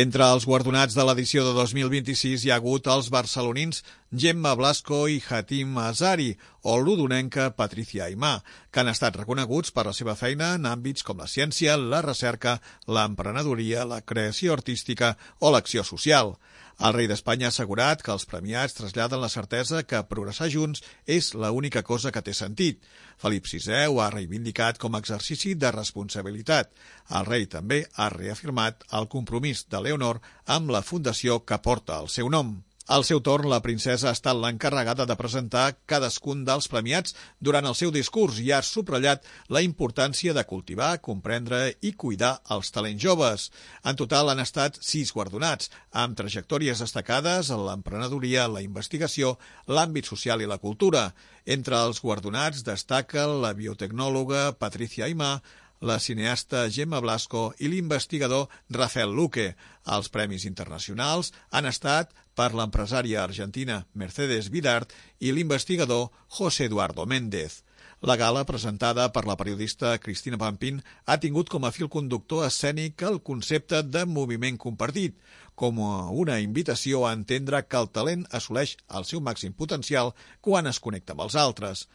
Entre els guardonats de l'edició de 2026 hi ha hagut els barcelonins Gemma Blasco i Hatim Azari o l'udonenca Patricia Aimà, que han estat reconeguts per la seva feina en àmbits com la ciència, la recerca, l'emprenedoria, la creació artística o l'acció social. El rei d'Espanya ha assegurat que els premiats traslladen la certesa que progressar junts és l'única cosa que té sentit. Felip VI ho ha reivindicat com a exercici de responsabilitat. El rei també ha reafirmat el compromís de Leonor amb la fundació que porta el seu nom. Al seu torn, la princesa ha estat l'encarregada de presentar cadascun dels premiats durant el seu discurs i ha subratllat la importància de cultivar, comprendre i cuidar els talents joves. En total han estat 6 guardonats, amb trajectòries destacades en l'emprenedoria, la investigació, l'àmbit social i la cultura. Entre els guardonats destaca la biotecnòloga Patricia Aimà, la cineasta Gemma Blasco i l'investigador Rafael Luque. Els premis internacionals han estat per l'empresària argentina Mercedes Vidart i l'investigador José Eduardo Méndez. La gala, presentada per la periodista Cristina Pampín, ha tingut com a fil conductor escènic el concepte de moviment compartit, com una invitació a entendre que el talent assoleix el seu màxim potencial quan es connecta amb els altres.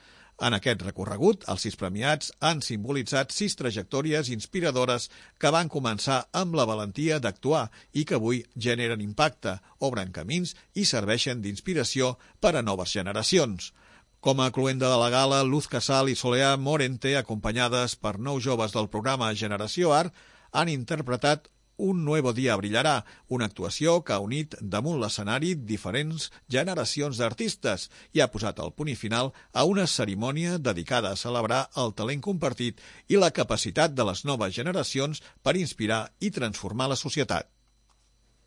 En aquest recorregut, els 6 premiats han simbolitzat 6 trajectòries inspiradores que van començar amb la valentia d'actuar i que avui generen impacte, obren camins i serveixen d'inspiració per a noves generacions. Com a cloenda de la gala, Luz Casal i Soleá Morente, acompanyades per 9 joves del programa Generació Art, han interpretat Un nuevo día brillará, una actuació que ha unit damunt l'escenari diferents generacions d'artistes i ha posat el punt final a una cerimònia dedicada a celebrar el talent compartit i la capacitat de les noves generacions per inspirar i transformar la societat.